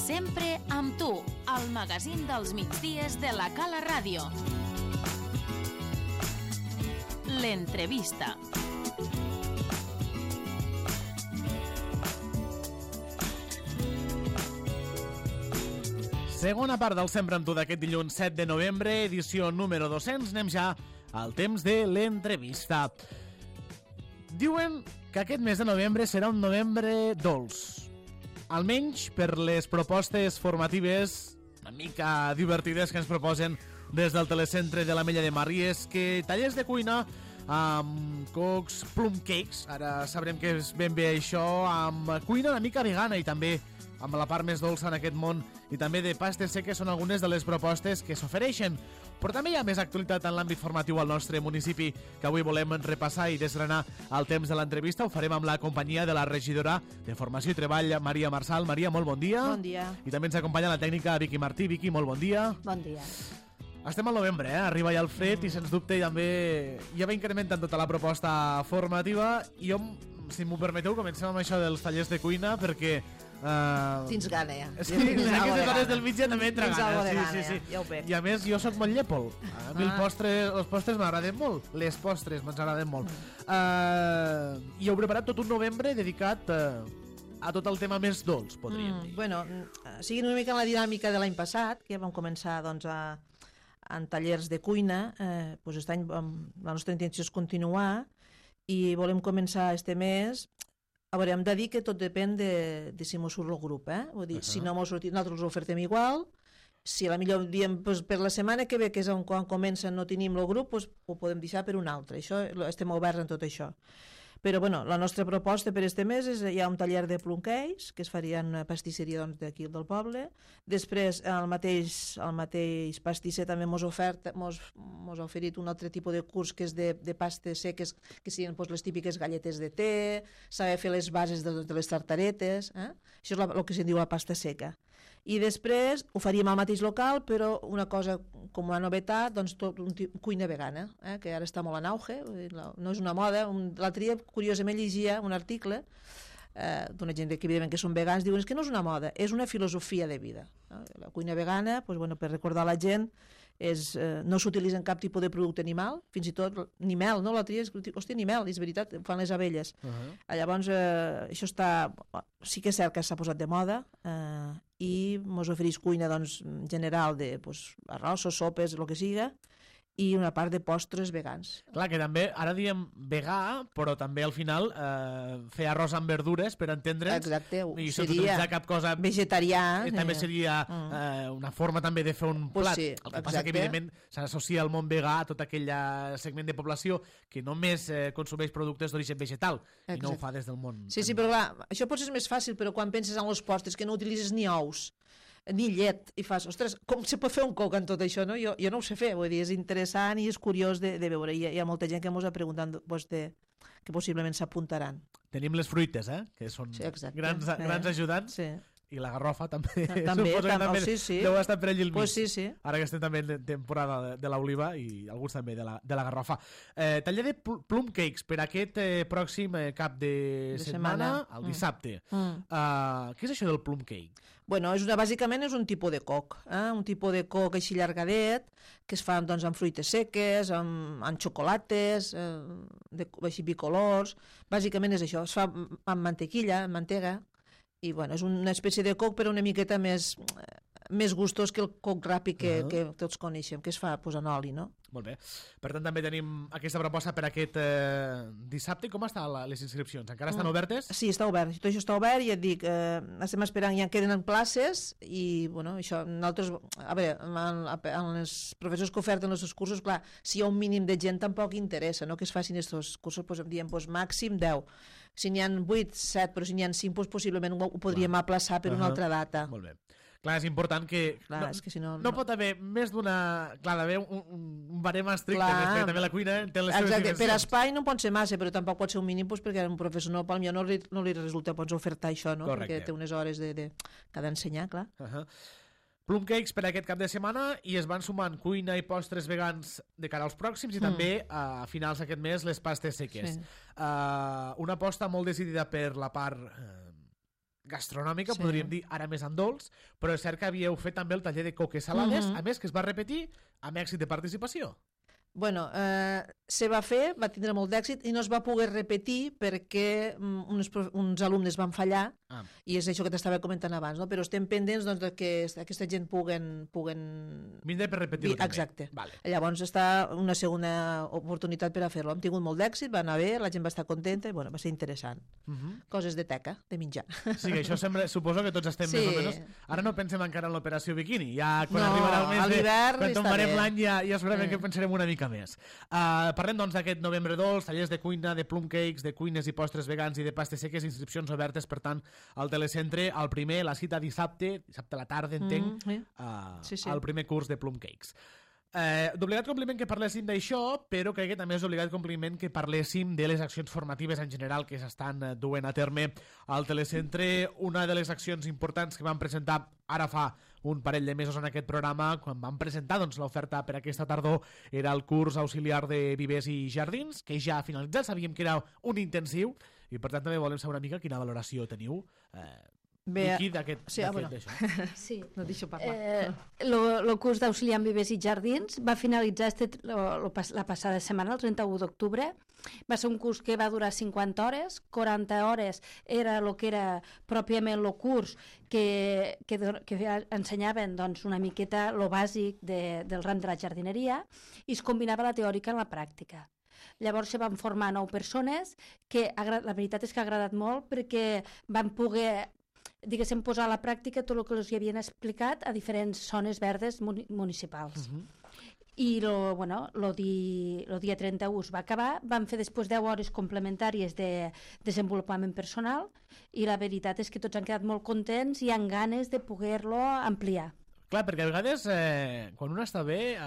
Sempre amb tu, al magazín dels migdies de la Cala Ràdio. L'entrevista. Segona part del Sempre amb tu d'aquest dilluns 7 de novembre, edició número 200. Anem ja al temps de l'entrevista. Diuen que aquest mes de novembre serà un novembre dolç. Almenys per les propostes formatives una mica divertides que ens proposen des del telecentre de l'Ametlla de Mar. I és que tallers de cuina amb cocs, plum cakes, ara sabrem què és ben bé això, amb cuina una mica vegana i també amb la part més dolça en aquest món, i també de pastes seques són algunes de les propostes que s'ofereixen. Però també hi ha més actualitat en l'àmbit formatiu al nostre municipi, que avui volem repassar i desgranar al temps de l'entrevista. Ho farem amb la companyia de la regidora de Formació i Treball, Maria Marsal. Maria, molt bon dia. Bon dia. I també ens acompanya la tècnica Vicky Martí. Vicky, molt bon dia. Bon dia. Estem al novembre, arriba ja el fred i sens dubte també ja va incrementant tota la proposta formativa. I jo, si m'ho permeteu, comencem amb això dels tallers de cuina, perquè tens gana, ja. Sí, aquestes hores del migdia també entra gana. Sí. Ja ho veig. I a més, jo sóc molt llepol. A mi els postres m'agraden molt. Les postres ens agraden molt. I heu preparat tot un novembre dedicat a tot el tema més dolç, podríem dir. Bueno, seguint una mica la dinàmica de l'any passat, que vam començar doncs, en tallers de cuina, doncs aquest any la nostra intenció és continuar i volem començar este mes. A veure, hem de dir que tot depèn de si mos surt el grup, Vull dir, si no mos sortit, nosaltres ho ofertem igual. Si a la millor diem pues, per la setmana que ve, que és quan comença, no tenim el grup, pues, ho podem deixar per un altre. Això, estem oberts en tot això. Però bueno, la nostra proposta per este mes és hi ha un taller de plum cakes que es faria en una pastisseria d'aquí del poble. Després el mateix pastisser també mos ha oferit un altre tipus de curs que és de pastes seques, que siguin pues, les típiques galletes de te, saber fer les bases de les tartaretes, Això és el que se'n diu la pasta seca. I després ho faríem al mateix local, però una cosa com una novetat, doncs tot cuina vegana, que ara està molt en auge, no és una moda. L'altre dia, curiosament, llegia un article d'una gent que evidentment que són vegans, diuen que no és una moda, és una filosofia de vida. La cuina vegana, doncs, bueno, per recordar a la gent, no s'utilitza cap tipus de producte animal, fins i tot ni mel, no? L'altre dia, hòstia, ni mel, és veritat, fan les abelles. Llavors, això sí que és cert que s'ha posat de moda, i mos ofereix cuina doncs, general de arrossos, sopes, el que siga, i una part de postres vegans. Clar, que també, ara diem vegà, però també al final fer arròs amb verdures, per entendre'ns. Exacte, i sense utilitzar cap cosa vegetarià. També seria una forma també de fer un plat. Sí, el que passa que, evidentment, s'associa al món vegà a tot aquell segment de població que només consumeix productes d'origen vegetal. Exacte. I no ho fa des del món. Sí, però clar, això potser és més fàcil, però quan penses en els postres que no utilitzes ni ous, ni llet, i fas, ostres, com se pot fer un coc en tot això, no? Jo no ho sé fer, vull dir, és interessant i és curiós de veure, hi ha molta gent que ens ha preguntat que possiblement s'apuntaran. Tenim les fruites, que són grans ajudants. Sí. I la garrofa també. També deu estar per allí al mig. Pues sí. Ara que estem també en temporada de l'oliva i alguns també de la garrofa. Taller de plum cakes per aquest pròxim cap de setmana, el dissabte. Què és això del plum cake? Bueno, bàsicament és un tipus de coc, un tipus de coc així llargadet, que es fa doncs, amb fruites seques, amb xocolates, així bicolors. Bàsicament és això, es fa amb mantequilla, amb mantega, i bueno, és una espècie de coc però una miqueta més gustós que el coc ràpid que tots coneixem, que es fa en oli, no? Molt bé. Per tant, també tenim aquesta proposta per aquest dissabte. Com estan les inscripcions? Encara estan obertes? Sí, està obert. Tot això està obert i et dic, estem esperant, ja queden en places i, bueno, això, nosaltres, a veure, en els professors que oferten els cursos, clar, si hi ha un mínim de gent tampoc interessa, no?, que es facin aquests cursos, diem, màxim 10. Si n'hi ha 8, 7, però si n'hi ha 5, possiblement ho podríem aplaçar per una altra data. Molt bé. Clar, és important que... Clar, és que si no pot haver més d'una... Clar, d'haver un barem estricte, que també la cuina té les seves dimensions. Per espai no pot ser massa, però tampoc pot ser un mínim, perquè un professor no li resulta ofertar això, no? Correcte. Perquè té unes hores que ha d'ensenyar, clar. Plum cakes per aquest cap de setmana i es van sumant cuina i postres vegans de cara als pròxims i també a finals d'aquest mes les pastes seques. Una aposta molt decidida per la part gastronòmica, Sí. podríem dir, ara més en dolç, però és cert que havíeu fet també el taller de coques salades, a més que es va repetir amb èxit de participació. Bueno, se va fer, va tindre molt d'èxit i no es va poder repetir perquè uns alumnes van fallar i és això que t'estava comentant abans, no? Però estem pendents doncs, que aquesta gent puguen... Vindré per repetir-ho també. Exacte. Vale. Llavors està una segona oportunitat per a fer-lo. Hem tingut molt d'èxit, va anar bé, la gent va estar contenta i bueno, va ser interessant. Coses de teca, de menjar. Sí, que això sembla, suposo que tots estem més o menys... Ara no pensem encara en l'operació biquini, ja quan arribarà el mes quan tombarem l'any ja segurament que pensarem una mica més. Parlem doncs d'aquest novembre dolç, tallers de cuina, de plum cakes, de cuines i postres vegans i de pastes seques, inscripcions obertes, per tant, al telecentre, el primer, la cita dissabte a la tarda, entenc, el primer curs de plum cakes. D'obligat compliment que parléssim d'això, però crec que també és d'obligat compliment que parléssim de les accions formatives en general que s'estan duent a terme al telecentre. Una de les accions importants que vam presentar ara fa un parell de mesos en aquest programa, quan vam presentar doncs, l'oferta per aquesta tardor, era el curs auxiliar de vivers i jardins, que ja ha finalitzat, sabíem que era un intensiu, i per tant també volem saber una mica quina valoració teniu Vicky, d'aquest d'això. Sí. No et deixo parlar. El curs d'auxiliar en vivers i jardins va finalitzar la passada setmana, el 31 d'octubre. Va ser un curs que va durar 50 hores, 40 hores era el que era pròpiament el curs que ensenyaven doncs, una miqueta el bàsic del ram de la jardineria i es combinava la teòrica amb la pràctica. Llavors se van formar 9 persones que la veritat és que ha agradat molt perquè van poder diguéssim, posar a la pràctica tot el que els havien explicat a diferents zones verdes municipals. I el dia 31 es va acabar, van fer després 10 hores complementàries de desenvolupament personal i la veritat és que tots han quedat molt contents i han ganes de poder-lo ampliar. Clar, perquè a vegades quan un està bé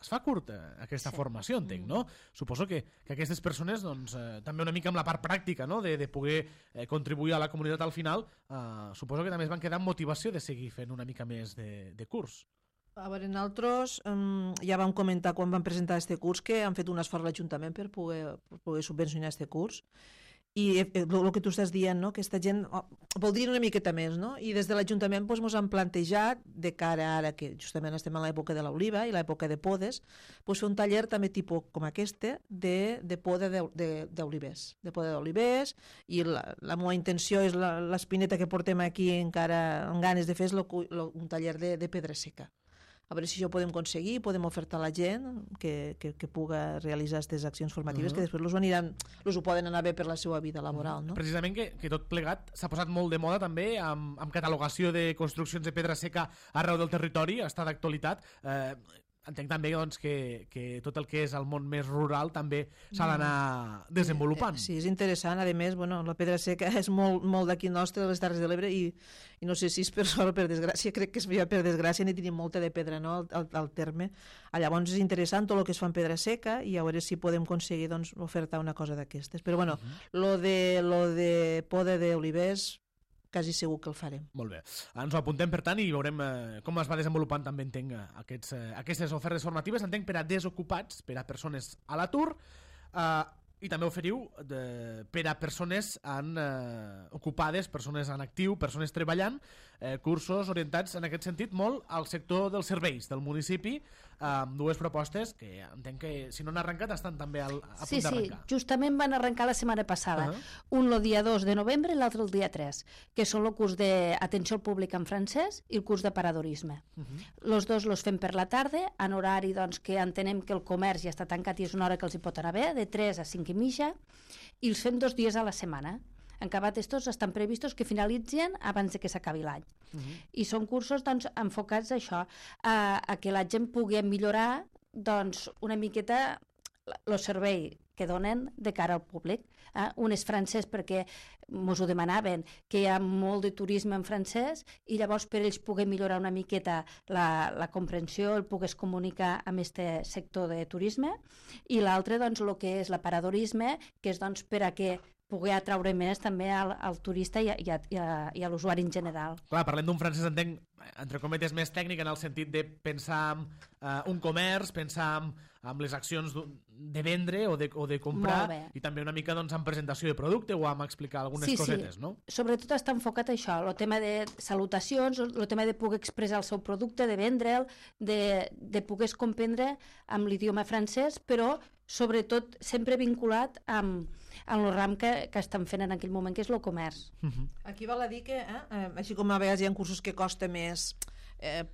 es fa curta aquesta formació, entenc, no? Suposo que aquestes persones, doncs, també una mica amb la part pràctica, no?, de poder contribuir a la comunitat al final, suposo que també es van quedar amb motivació de seguir fent una mica més de curs. A veure, nosaltres ja vam comentar quan vam presentar aquest curs que han fet un esforç a l'Ajuntament per poder subvencionar aquest curs. I el que tu estàs dient, no? Aquesta gent voldria una miqueta més, no? I des de l'Ajuntament ens han plantejat, de cara ara que justament estem en l'època de l'oliva i l'època de podes, fer un taller també tipus com aquest de poda d'olivers. De poda d'olivers, i la meva intenció és l'espineta que portem aquí encara amb ganes de fer és un taller de pedra seca. A veure si això ho podem aconseguir, podem ofertar a la gent que puga realitzar aquestes accions formatives, que després ho poden anar bé per la seva vida laboral. No? Precisament que tot plegat s'ha posat molt de moda també amb catalogació de construccions de pedra seca arreu del territori, està d'actualitat. Entenc també doncs, que tot el que és el món més rural també s'ha d'anar desenvolupant. Sí, és interessant. A més, la pedra seca és molt d'aquí nostre, de les Terres de l'Ebre, i no sé si és per sort o per desgràcia, crec que és per desgràcia, n'hi tenim molta de pedra, no?, al terme. Llavors és interessant tot el que es fa en pedra seca i a veure si podem aconseguir doncs, ofertar una cosa d'aquestes. Però lo de poda d'olivers quasi segur que el farem. Molt bé. Ens ho apuntem, per tant, i veurem com es va desenvolupant també, entenc, aquestes ofertes formatives, entenc, per a desocupats, per a persones a l'atur, i també oferiu per a persones ocupades, persones en actiu, persones treballant, cursos orientats en aquest sentit molt al sector dels serveis del municipi, amb dues propostes que entenc que si no han arrencat estan també a punt d'arrencar. Sí, justament van arrencar la setmana passada. Un el dia 2 de novembre i l'altre el dia 3, que són el curs d'atenció al públic en francès i el curs de paradorisme. Els dos els fem per la tarda, en horari doncs, que entenem que el comerç ja està tancat i és una hora que els hi pot anar bé, de 3 a 5 i mitja, i els fem 2 dies a la setmana. En acabat estos estan previstos que finalitzen abans de que s'acabi l'any. I són cursos doncs, enfocats a això, a que la gent pugui millorar doncs, una miqueta el servei que donen de cara al públic. Un és francès perquè ens ho demanaven, que hi ha molt de turisme en francès i llavors per ells poder millorar una miqueta la comprensió, el poder comunicar amb aquest sector de turisme, i l'altre doncs, el que és l'aparadorisme, que és doncs, per a que poder atraure més també al turista i a l'usuari en general. Clar, parlem d'un francès, entenc, entre cometes, més tècnic en el sentit de pensar en un comerç, pensar en les accions de vendre o de comprar, i també una mica en presentació de producte o en explicar algunes cosetes, no? Sobretot està enfocat a això, el tema de salutacions, el tema de poder expressar el seu producte, de vendre'l, de poder comprendre amb l'idioma francès, però sobretot sempre vinculat amb el ram que estan fent en aquell moment, que és el comerç. Aquí val a dir que, així com a vegades hi ha cursos que costa més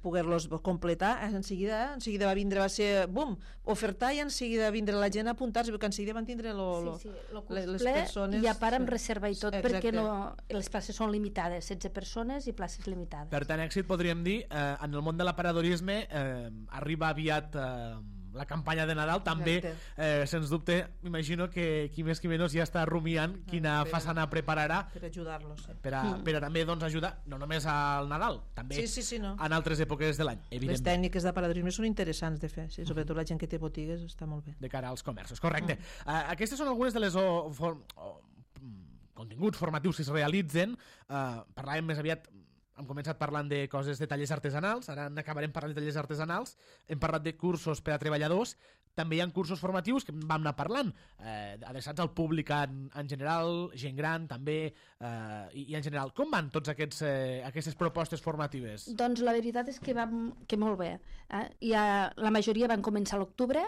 poder-los completar, en seguida va vindre, va ser, bum, ofertar, i en seguida vindre la gent a apuntar-se, perquè en seguida van tindre les persones... I a part amb reserva i tot, perquè les places són limitades, 16 persones i places limitades. Per tant, èxit, podríem dir, en el món de l'aparadorisme arriba aviat la campanya de Nadal, també, sens dubte, m'imagino que qui més qui menys ja està rumiant quina façana prepararà per ajudar-los. Per a també ajudar, no només al Nadal, també en altres èpoques de l'any. Les tècniques d'aparadorisme són interessants de fer, sobretot la gent que té botigues està molt bé. De cara als comerços, correcte. Aquestes són algunes de les continguts formatius que es realitzen. Parlàvem més aviat, hem començat parlant de coses de tallers artesanals, ara n'acabarem parlant de tallers artesanals, hem parlat de cursos per a treballadors, també hi ha cursos formatius que vam anar parlant, adreçats al públic en general, gent gran també, i en general. Com van tots aquestes propostes formatives? Doncs la veritat és que molt bé. La majoria van començar a l'octubre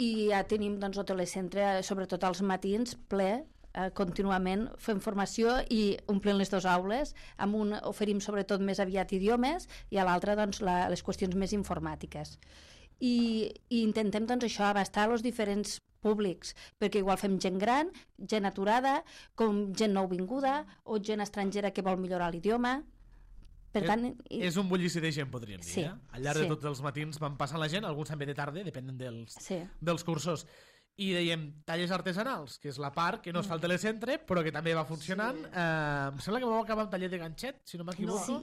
i ja tenim el telecentre, sobretot als matins, ple, contínuament fem formació i omplint les dues aules. Amb un oferim sobretot més aviat idiomes i a l'altre les qüestions més informàtiques. I intentem això, abastar els diferents públics, perquè igual fem gent gran, gent aturada, com gent nouvinguda o gent estrangera que vol millorar l'idioma. Per tant, és un bullici de gent, podríem dir. Al llarg de tots els matins van passant la gent, alguns també de tarda, depenent dels cursos. I dèiem tallers artesanals, que és la part que no es fa al telecentre, però que també va funcionant. Em sembla que vau acabar un taller de ganxet, si no m'equivoco.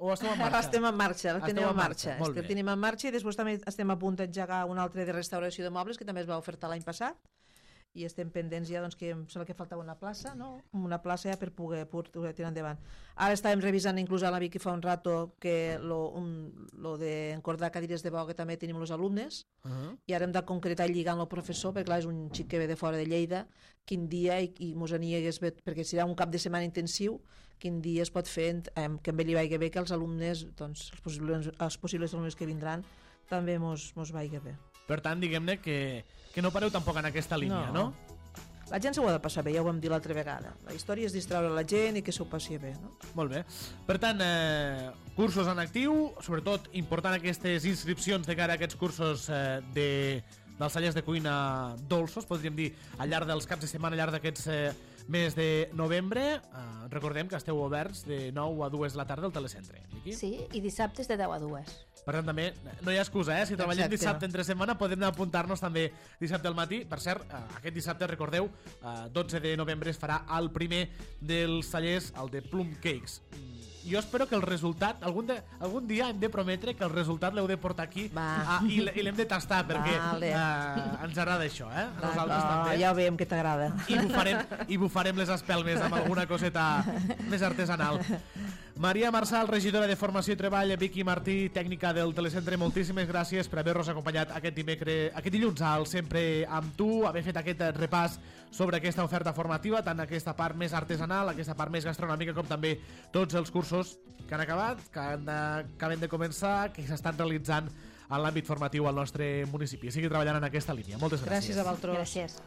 O esteu en marxa? Ara estem en marxa, tenim en marxa i després també estem a punt d'engegar un altre de restauració de mobles que també es va ofertar l'any passat, i estem pendents ja, que em sembla que faltava una plaça, no? Una plaça ja per poder tirar endavant. Ara estàvem revisant inclús a la Vicky fa un rato que lo d'encordar cadires de veu que també tenim els alumnes, i ara hem de concretar i lligar amb el professor, perquè clar, és un xic que ve de fora de Lleida, quin dia i mos aniegues, perquè serà un cap de setmana intensiu, quin dia es pot fer que amb ell li vagi bé, que els alumnes, els possibles alumnes que vindran també mos vagi bé. Per tant, diguem-ne que no pareu tampoc en aquesta línia, no? La gent s'ho ha de passar bé, ja ho vam dir l'altra vegada. La història és distreure la gent i que s'ho passi bé, no? Molt bé. Per tant, cursos en actiu, sobretot important aquestes inscripcions de cara a aquests cursos dels tallers de cuina dolços, podríem dir, al llarg dels caps de setmana, al llarg d'aquests mes de novembre. Recordem que esteu oberts de 9 a 2 de la tarda al telecentre. Sí, i dissabtes de 10 a 2. Per tant, també no hi ha excusa, si treballem dissabte entre setmana podem apuntar-nos també dissabte al matí. Per cert, aquest dissabte, recordeu, 12 de novembre es farà el primer dels tallers, el de Plum Cakes. Jo espero que el resultat, algun dia hem de prometre que el resultat l'heu de portar aquí i l'hem de tastar, perquè ens agrada això, a nosaltres també. Ja ho veiem que t'agrada. I bufarem les espelmes amb alguna coseta més artesanal. Maria Marçal, regidora de Formació i Treball, Vicky Martí, tècnica del telecentre, moltíssimes gràcies per haver-nos acompanyat aquest dilluns al Sempre amb tu, haver fet aquest repàs sobre aquesta oferta formativa, tant aquesta part més artesanal, aquesta part més gastronòmica, com també tots els cursos que han acabat, que acaben de començar, que s'estan realitzant en l'àmbit formatiu al nostre municipi. Sigui treballant en aquesta línia. Moltes gràcies. Gràcies a vosaltres. Gràcies.